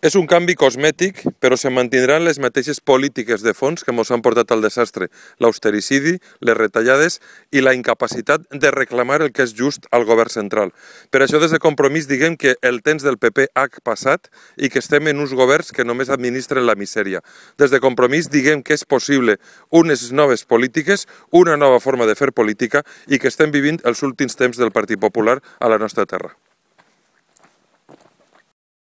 És un canvi cosmètic, però se mantindran les mateixes polítiques de fons que ens han portat al desastre, l'austericidi, les retallades i la incapacitat de reclamar el que és just al govern central. Per això, des de Compromís, diguem que el temps del PP ha passat i que estem en uns governs que només administren la misèria. Des de Compromís, diguem que és possible unes noves polítiques, una nova forma de fer política i que estem vivint els últims temps del Partit Popular a la nostra terra.